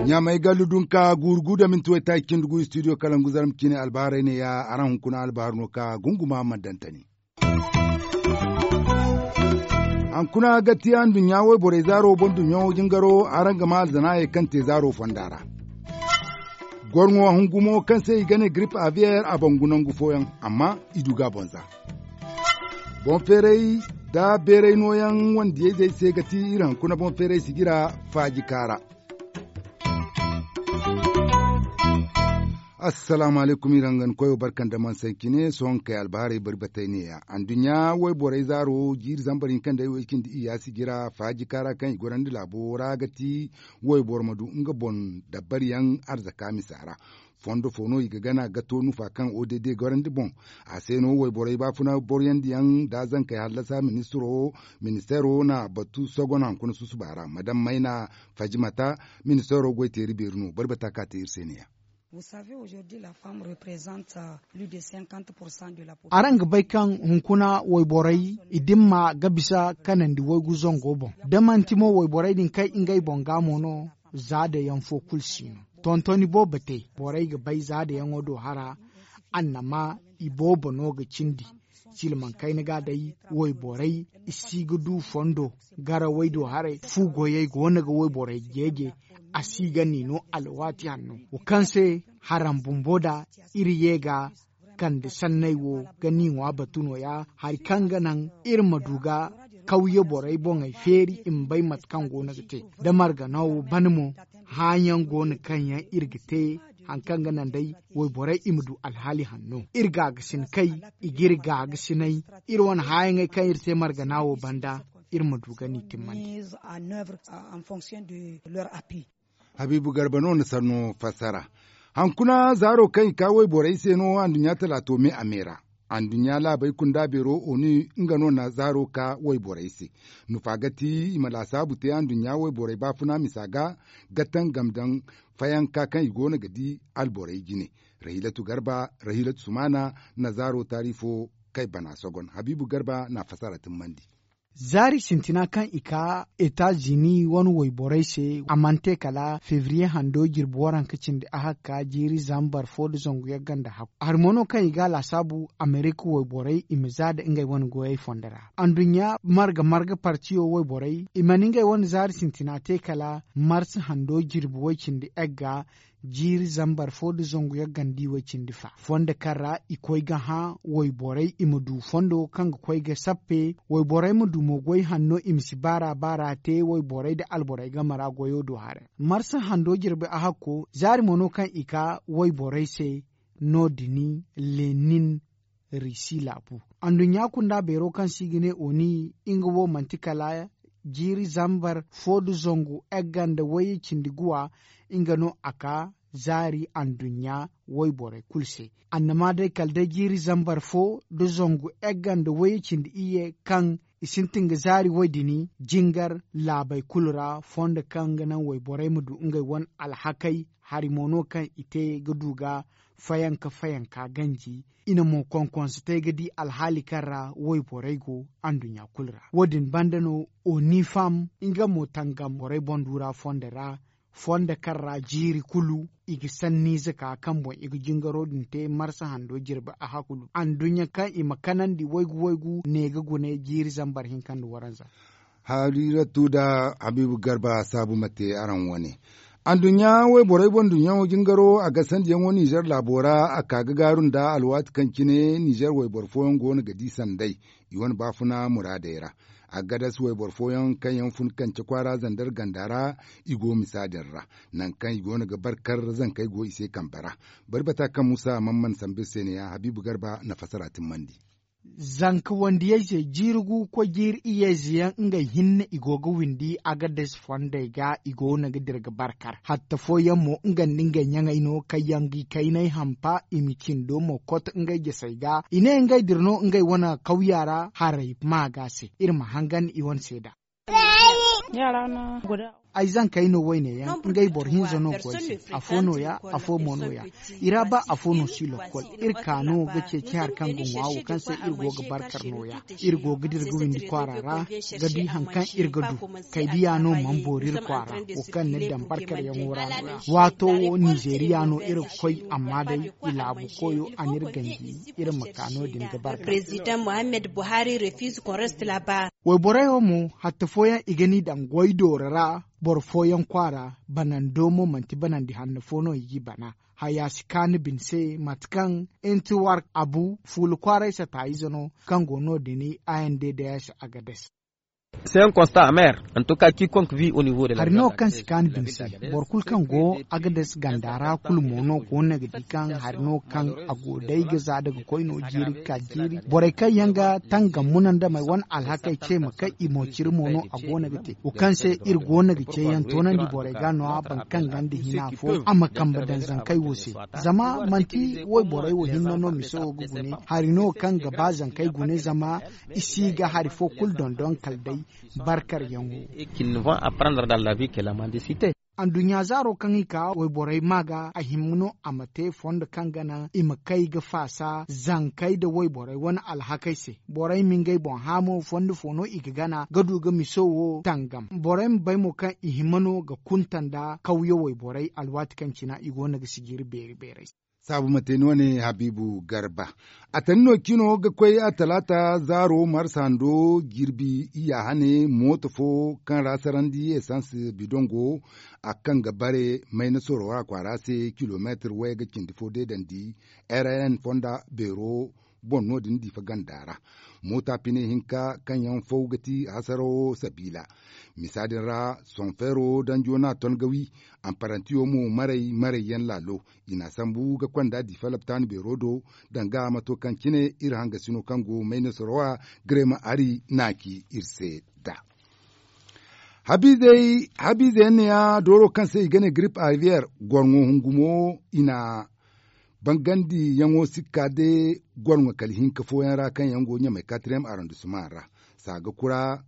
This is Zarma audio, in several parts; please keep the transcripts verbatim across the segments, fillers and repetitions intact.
Ɲaamey gallu dunka guuru gu da minti waytaaci cindi gu studio kalangu zarma ciine albaharay ne ya araŋ hunkuna albahar no ka gunguma man dantani. Hankuna ga ti anduɲɲa wayborey zaaro boŋ duɲɲo jingaro araŋ ga ma alzanaayey kaŋ te zaaro fonda ra. Gorŋo hungumo kaŋ se i ga ne giripe aviyeer a bangu nangu fooyaŋ amma i du ga a boŋ za. Boŋ feeray da beeray nooyaŋ wandiyayzey se ga ti iri hankuna boŋ feeray sijira faajika ra. Assalaamu alaykum iri hangan koyo barka nda man saŋ cine sohõ kay albaharay bari batay ne- ya anduɲɲa wayborey zaaro jiiri zambar hinka nda ay way cindi iyya sijira faajika ra kaŋ i gorandi laabo ra ga ti wayboro ma du nga boŋ dabbaryaŋ arzaka misa ra. Fondo fo no i ga gana ga to nufa kaŋ o d d gorandi boŋ. A se no wayborey baafuna boroyandiyaŋ da zankey hallasa ministiro ministeero na batu sogon hankuna susuba ra madam mayna fajimata. Ministeero goy teeri beeri no bari bata ka te iri se ne- ya. Araŋ ga bay kaŋ hunkuna wayborey i dimma ga bisa kanandi waygu zango boŋ da manti mo wayborey din kay ngey boŋ ga mo no. Za da yaŋ fo kulu si no tontoni boobo te borey ga bay za da yaŋo do hara. Annama i boobo no ga cindi silmaŋ kayna ga day wayborey i si ga du fondo garawey do haray fu goyey go no ga wayborey jeeje. A si ga ni no alwaati hanno wo kaŋ se haram bumbo da iri ye ga kande sanney wo ga ni ŋwa batu nooya hari kaŋ ga naŋ iri ma du ga kawye borey boŋey feeri i ma bay mate kaŋ go no ga te da margana wo ban mo. Hããyaŋ go no kaŋ yaŋ iri ga te haŋ kaŋ ga naŋ day wayborey i ma du alhaali hanno iri gaagasinakey i ga iri gaagasinay iri wane hããyaŋey kaŋ iri te margana wo banda iri ma du ga ni timmandi. Habiibu garba no na sanno fassara. Hankuna zaaro kaŋ i ka wayborey se no anduɲɲa talaato me a me ra. Anduɲɲa laabey kunda beero onu nga no na zaaro ka wayborey se. Nufa ga ti i ma laasaabu te anduɲɲa wayborey baafuna misa ga ga tangam daŋ fayanka kaŋ i go no ga di alborey jine. Rahilatu garba rahilatu sumaana na zaaro taari fo kay bana sogon habiibu garba na fassara timmandi. Zaari sintina kaŋ i ka etazini wane wayborey se a mana te kala febriye hando jirbi waranka cindi ahakka jiiri zambar fo nda zangu yagga nda hakku hari mo no kaŋ i ga a laasaabu amerika wayborey i ma za nda ngey wane goyey fondo ra. Anduɲɲa marga marga partiyo wayborey i mana ngey wane zaari sintina te kala marsi hando jirbi way cindi egga jiiri zambar fo nda zangu yaggandi way cindi fa fondo kaŋ ra i koy ga hã wayborey i ma du fondo kaŋ ga koy ga sappe wayborey ma du mo goy hanno i ma si baara baara te wayborey nda alborey game ra goyo do haray. Marsa hando jirbi a hakko zaari mo no kaŋ i ka wayborey se no- din lenin risi laabu. Anduɲɲa kunda beero kaŋ se i ga ne oni nga wo manti kala jiiri zambar fo nda zangu egga nda wayye cindi guwa nga no a ka zaari anduɲɲa wayborey kulu se. Annama day kala day jiiri zambar fo nda zangu egga nda wayye cindi iyye kaŋ i sintin ga zaari way- din jingar laabey kulu ra fondo kaŋ ga naŋ wayborey ma du ngey wane alhakey hari mo no kaŋ i te ga du ga fayanka fayanka ganji. I na mo konkonse te ga di alhaali kaŋ ra wayborey go anduɲɲa kulu ra wo- din banda no onifam nga mo tangam borey boŋ du ra fondo ra fondo kaŋ ra jiiri kulu i ga sanniize ka kaŋ boŋ i ga jingaro din te marsa hando jirbi a hakulu anduɲɲa kaŋ i ma kanandi waygu waygu ne ga gune jiiri zambar hinka nda waranza. Hariratu nda habiibu garba saabu ma te araŋ wane. Anduɲɲa wayborey boŋ duɲɲaŋo jingaro a gasandiyaŋo nizer laabo ra a ka ga gaaru nda alwaati kaŋ cine nizer wayboro fooyaŋ go no ga di sanday i wane baafuna muraadey ra. Agadas wayboro fooyaŋ kaŋ yaŋ fun kance kwaara zandar ganda ra i go misa din ra. Nangu kaŋ i go no ga barkar zankey go i se kambe ra. Bari bata kaŋ muusa mamman sambu iri se ne ya habiibu garba na fassara timmandi. Zanka wandiyey se jiiri gu koy jiiri iyye ze yaŋ ngey hinne i go ga windi agadas fondey ga i go no ga dira ga barkar hatta fooyaŋ mo nga nda ngey ɲaŋey no kaŋ yaŋ ga i kaynay hampa i ma cindo mo kote ngey jasey ga i ne ngey dira no ngey wane kawya ra haray ma ga se iri ma hangan i wane se da. Ay zankey no wayne yaŋ, ngey boro hinza no goy se. Afo no- ya afo mo no- ya. I ra ba afo no si lokkol. Iri ka no ga ceeci hari kaŋ ga ŋwa wo kaŋ se iri go ga barkar no- ya. Iri go ga dira ga windi kwaara ra, ga di hari kaŋ iri ga du. Kay biya no mana boori iri kwaara, wo kaŋ ni daŋ barkaryaŋo ra no- ya. Waato wo nizeriya no iri ga koy, amma day i laabu koyo a n'iri ganji, iri ma ka no- din ga barkar. Wayborey wo mo, hatta fooyaŋ i ga ni daŋ goy doora ra. Boro fooyaŋ kwaara, banando mo manti banandi hanno fo no i g'i bana. Haya si kaanu bine se, mate kaŋ intiwark abu fuula kwaaray sata ize no, kaŋ go no- din i a n d d s agades. Hari no kaŋ si kaanu bine se, boro kulu kaŋ go agades ganda ra kulu mo no go no ga di kaŋ hari no kaŋ a go day ga za daga koyno jiiri ga ka jiiri. Borey kaŋ yaŋ ga tangam munandamey wane alhakey ce ma kay i mo ciri mo no a go no ga te. Wo kaŋ se iri go no ga ce yaŋ toonandi borey ga no a ban kaŋ ganda hina fo a ma kambe daŋ zankey wo se. Zama manti wayborey wo hinne no miso wo ga gune, hari no kaŋ ga ba zankey gune zama i si ga hari fo kulu dondon kala day barkaryaŋo. Anduɲɲa zaaro kaŋ i ka wayborey ma ga a hima no a ma te fondo kaŋ ga naŋ i ma kay ga faasa zankey nda wayborey wane alhakey se. Borey ma ngey boŋ hã mo fondo fo no i ga gana ga du ga miso wo tangam. Borey ma bay mo kaŋ i hima no ga kunta nda kawye wayborey alwaati kaŋ cina i go no ga sijiri beeri beerey se. Saabu ma te ni wane habiibu garba. A tani no cino ga koy a talaata zaaro marsa hando jirbi iyya hane mooto fo kaŋ ra sarandi esans bidoŋ go a kaŋ ga bare mayna soro ra kwaara se kilomeetir wayga cindi fo deedandi. Rn fonda beero boŋ no- din diifa ganda ra. Moota pine hinka kaŋ yaŋ faw ga ti hasarawo sabiila. Misa din ra sonfeero danjo no a ton ga wi. Amparantiyo mo maray maray yaŋ laalo i n'a sambu ga konda diifa laptaani beero do. Danga mato kaŋ cine iri hangasino kaŋ go mayna sorowa grema ari n'a ci iri se nd'a. Habiizey habiizey yaŋ ne- ya dooro kaŋ se i ga ne grip aviyeer gorŋo hungumo i na bangandiyaŋo sikka de gorŋo kala hinka fooyaŋ ra kaŋ yaŋ go ɲamay katriyem arondisema ra. Saaga kura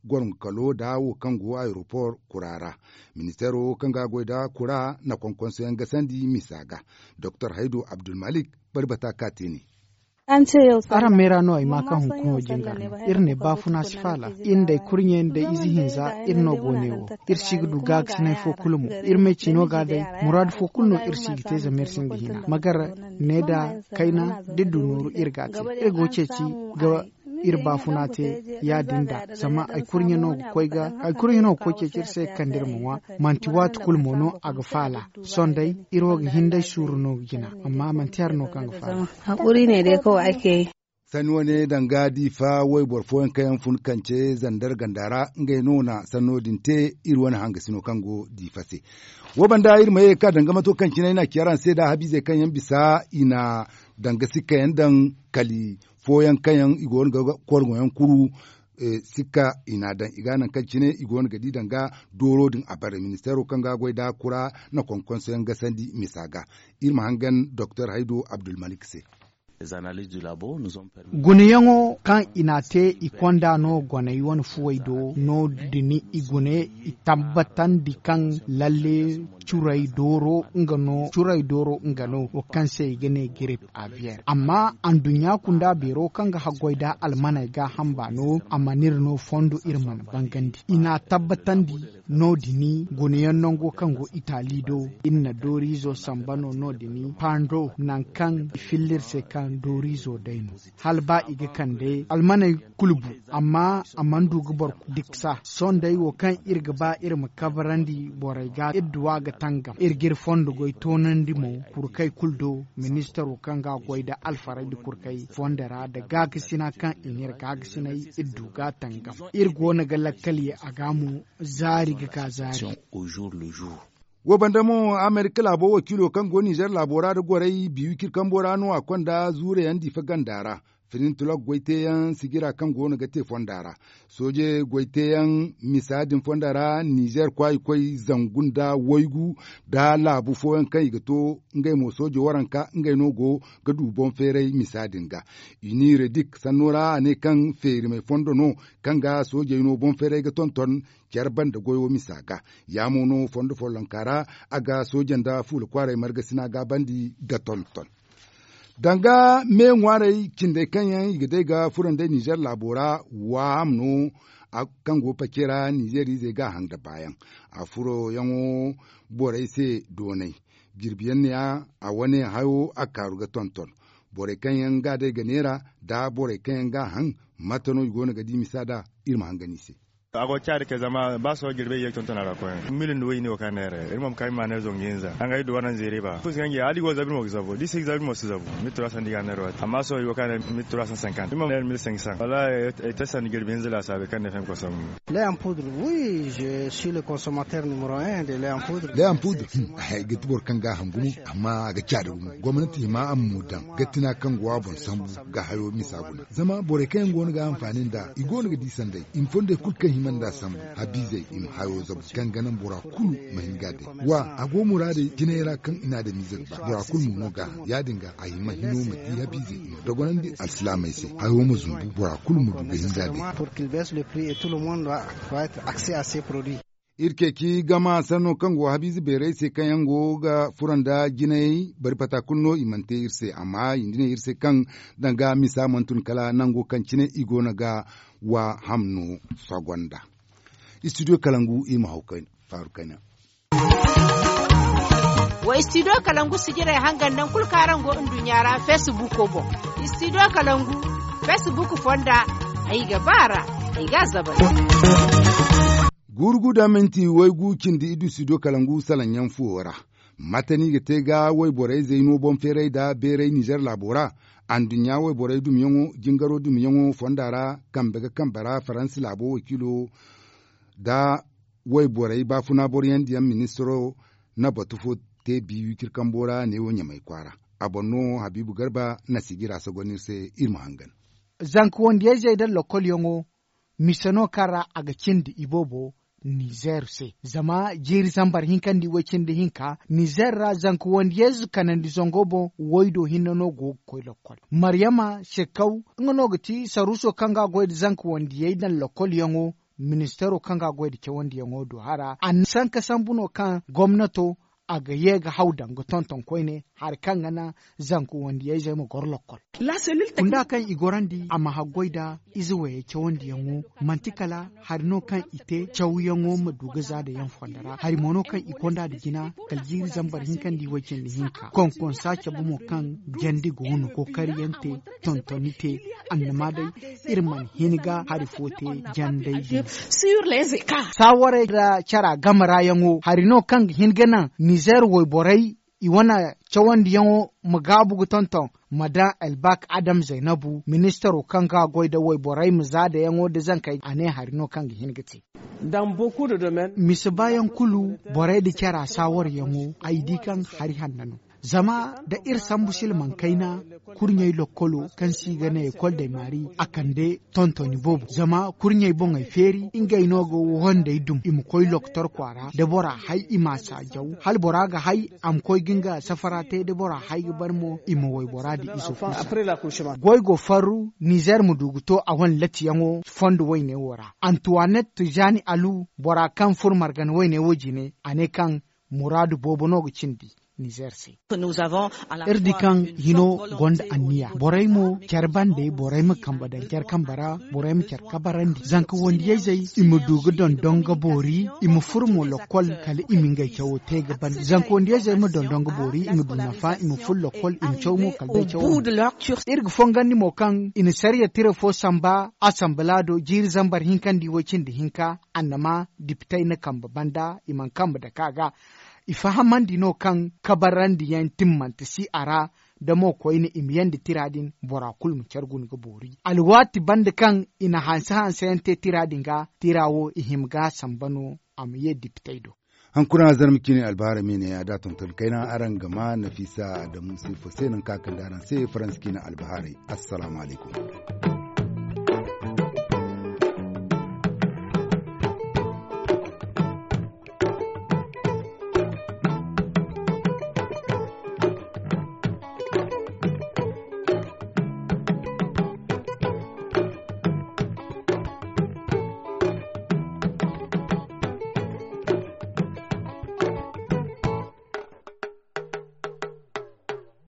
gorŋo kalo nda wo kaŋ go ayeropoor kura ra. Ministeero kaŋ ga goy nda kura na konkonsoyaŋ gasandi misa ga. Doktor haydo abdulmalik bari bata ka te ne. Araŋ meera no ay ma kaŋ hunkuna jingar no iri ne baafuna si faala. Iri nda ay kurɲe nda ize hinza iri no go ne wo. Iri si ga du gaagasinay fo kulu mo iri ma ay ciino ga day. Muraadu fo kulu no iri si ga te zama iri sinda hina magar ne nda kayna da du nooru iri ga a te. Iri go ceeci ga iri baafuna te ya- din da zama ay kurɲe no ga koy ga ay kurɲe no ga koy ceeci iri se ga kande iri ma ŋwa. Manti waati kulu mo no a ga faala. Sohõ day iri wo ga hin day suuru no ga jina. Amma manti hari no kaŋ ga faala. Sanni wane danga diifa wayboro fooyaŋ kaŋ yaŋ fun kance zandar ganda ra ngey no na sanno din te. Iri wane hangasino kaŋ go diifa se wo banda iri ma ye ga ka danga mato kaŋ cine ay na ci araŋ se nda habiizey kaŋ yaŋ bisa i na danga sikka yaŋ daŋ kali fooyaŋ kaŋ yaŋ i go no ga korŋo yaŋ kuru. Sikka i n'a daŋ i ga naŋ kaŋ cine i go no ga di danga dooro din a bare ministeero kaŋ ga goy nda kura na konkonsoyaŋ gasandi misa ga. Iri ma hangan doktor haydo abdulmalik se. Gunayaŋo kaŋ i n'a te i konda no goney wane fuwey do no- din i gune i tabbatandi kaŋ lalle curay dooro nga no curay dooro nga no wo kaŋ se i ga ne girib aviyeer amma anduɲɲa kunda beero kaŋ ga haggoy nda almaney ga hamba no a mana iri no fondo iri mana bangandi i n'a tabbatandi. No- din gunayaŋ nango kaŋ go itali do iri na dooriizo samba no no- din pando nangu kaŋ i filla iri se kaŋ dooriizo day no hala ba i ga kande almaney kulu bu. Amma a mana du ga boro diksa sohõ day wo kaŋ iri ga ba iri ma kabrandi borey ga iri duwa ga tangam iri g'iri fondo goy toonandi mo kurkey kulu do. Ministaro kaŋ ga goy nda alfaraydi kurkey fondo ra nda gaakasina kaŋ i n'iri gaakasinay iri du ga tangam iri go no ga lakkal ye a ga mo zaari ga ka zaari. Wo banda mo amerika laabo wakiilo kaŋ go nizer laabo ra nda gorey biwikir kambo ra no a konda zuure yaŋ diifa ganda ra. Filin tulak goy teeyaŋ sijira kaŋ go no ga te fonda ra. Sooje goy teeyaŋ misa din fonda ra nizer kwaayikoy zangu nda waygu nda laabu fooyaŋ kaŋ i ga to ngey mo sooje waranka ngey no go ga du boŋ feeray misa din ga. Unire dik sanno ra a ne kaŋ feerimey fondo no kaŋ ga soojey no boŋ feeray ga tonton care banda goyo misa ga. Ya mo no fondo follonka ra a ga sooje nda fuula kwaaray margasina gaabandi ga tonton. Danga me ŋwaarey cindey kaŋ yaŋ i ga day ga furo nd'ey nizer laabo ra waaham no kaŋ go pake ra nizer izey ga a haŋ nda baayaŋ. A furoyaŋo borey se doonay jirbiyaŋ ne a wane hayo a kaaru ga tonton. Borey kaŋ yaŋ ga day ga neera nda borey kaŋ yaŋ ga a haŋ mate no i go no ga di misa nd'a? Iri ma hangan i se. A go caadi kay zama ba sohõ jirbey ye tontona ra koyne mili nda way ni wo kaŋ neera iri mo ma kay ma neera zongu hinza a ga ay duwara nzeeri ba kusa kaŋ ga ya hali go zabu iri mo ga zabu da i si ga zabu iri mo si zabu. Mili turasan di ga neera waati amma sohõ i go kaŋ neera mili turasan sankant iri mo ma neera mili sankant wallahi. Ay te sanda jirbi hinza laasaabu kaŋ ne fahim kosom. Lay ampudre wi je si le konsomater numero un de lay ampudre. Lay ampudre ay ga ti boro kaŋ ga a hangu mo amma a ga caadi gumo gomnati hima a ma mu daŋ ga tina kaŋ go a boŋ sambu ga hayo misa guna zama borey kaŋ yaŋ go no ga a hanfaani nd'a i go no ga di sanday i ma fondey kulu kaŋ hima nd'a sambu habiizey i ma hayo zabu kaŋ ga naŋ bora kulu ma hin ga a day. Wa a go muraadey jinay ra kaŋ i n'a daŋ miize ga ba bora kulu mo no ga a haŋ ya- din ga a hima hino ma di habiizey i ma dogonandi alsilaamey se hayo ma zumbu bora kulu ma du ga hin ga a day. Iri ceeci gama sanno kaŋ go habiize beerey se kaŋ yaŋ go ga furo nda jinay bari pata kulu no i mana te iri se amma i nda ne iri se kaŋ danga misa mana tun kala nango kaŋ cine i go no ga wa hamno sogonda. Istidiyo kalangu iri ma haw faaru kayna. Wa istidiyo kalangu sijirey hangan naŋ kulu kaŋ araŋ go nduɲɲa ra feesibuko boŋ. Istidiyo kalangu feesibuk fonda ay ga ba a ra ay ga a zabari. Guuru gu da minti waygu cindi i du studio kalangu salaŋ yaŋ fuwo ra. Mate no i ga te ga wayborey zayno boŋ feeray nda beeray nizer laabo ra. Anduɲɲa wayborey dumiyaŋo jingaro dumiyaŋo fonda ra kambe ga kambe ra faransi laabo wakiilo nda wayborey baafuna boroyaŋ diyaŋ ministiro na batu fo te bi wiciri kambo ra neewo ɲamay kwaara. A boŋ no habiibu garba na sijira sogon iri se iri ma hangan. Zanka wandiyayzey nda lokolyaŋo mise no kaŋ ra a ga cindi iboobo nizer se zama jiiri zambar hinka nda iway cindi hinka nizer ra zanka wandiyayze kanandi zango boŋ waydo hinne no go ga koy lokol. Maryama sekaw nga no ga ti saruuso kaŋ ga a goy nda zanka wandiyey daŋ lokolyaŋo ministeero kaŋ ga a goy nda cawandiyaŋo do hara a na sanka sambu no kaŋ gomnato a ga ye ga haw daŋ ga tonton koyne hari kaŋ ga naŋ zanka wandiyayzey ma goro lokkol. Kunda kaŋ i gorandi a ma haggoy nda ize wayey cawandiyaŋo manti kala hari no kaŋ i te cawyaŋo ma du ga za da yaŋ fondo ra hari mo no kaŋ i konda nda jina kala jiiri zambar hinka nda iway cindi hinka konkonsa cabe mo kaŋ jandi go no kookariyaŋ te tontoni te annama day iri mana hin ga hari fo te jandey din. Saawaray nda cara game ra yaŋo hari no kaŋ ga hin ga naŋ nizer wayborey i wane cawandiyaŋo ma gaabu ga tonton ma daŋ elbak adam zaynabu ministaro kaŋ ga a goy nda wayborey ma za dayaŋo nda zankey a ne hari no kaŋ ga hin ga te. Mise baayaŋ kulu borey nda cara saawaryaŋo ay di kaŋ hari hanna no. Zama da iri sambu silmaŋ kayna kurɲey lokkolo kaŋ se i ga ne ekol day maari a kande tontoni boobo zama kurɲey boŋey feeri ngey no ga wondey dum i ma koy lokotor kwaara da bora hay i m'a saajaw hala bora ga hay a ma koy ga nga safara te da bora hay ga bar mo i ma waybora nda izo kulu saajaw. Goy go farru nizer ma du ga to a wane latiyaŋo fondo wayne wo ra antuwanet tijani alu bora kaŋ furo margana wayne wo jine a ne kaŋ muraadu boobo no ga cindi nizer se. Iri di kaŋ hino gonda anniya borey mo care bandey borey ma kambe daŋ care kambe ra borey ma care kabarandi zanka wandiyayzey i ma du ga dondon ga boori i ma furo mo lokkol kala i ma ngey cawo te ga bandi zanka wandiyayzey ma dondon ga boori i ma du nafa i ma furo lokkol i ma caw mo kala day cawo. Iri ga fongandi mo kaŋ i na sariya tira fo samba asambala do jiiri zambar hinka nda iway cindi hinka annama dipitey na kambe banda i mana kambe dake a ga. I fahamandi no kaŋ kabarandiyaŋ timmante si a ra da mo koyne i ma yandi tira din bora kulu ma care guna ga boori alwaati banda kaŋ i na hanse hanseyaŋ te tira din ga tira wo i hima ga a samba no a ma ye dipitey do. Hankuna zarma ciine albahaarey me ne ya da tonton kayna araŋ ga ma nafiisa adamu sirfo se nangu kaŋ a kande araŋ se faransa ciine albahaarey. Assalaamu alaykum.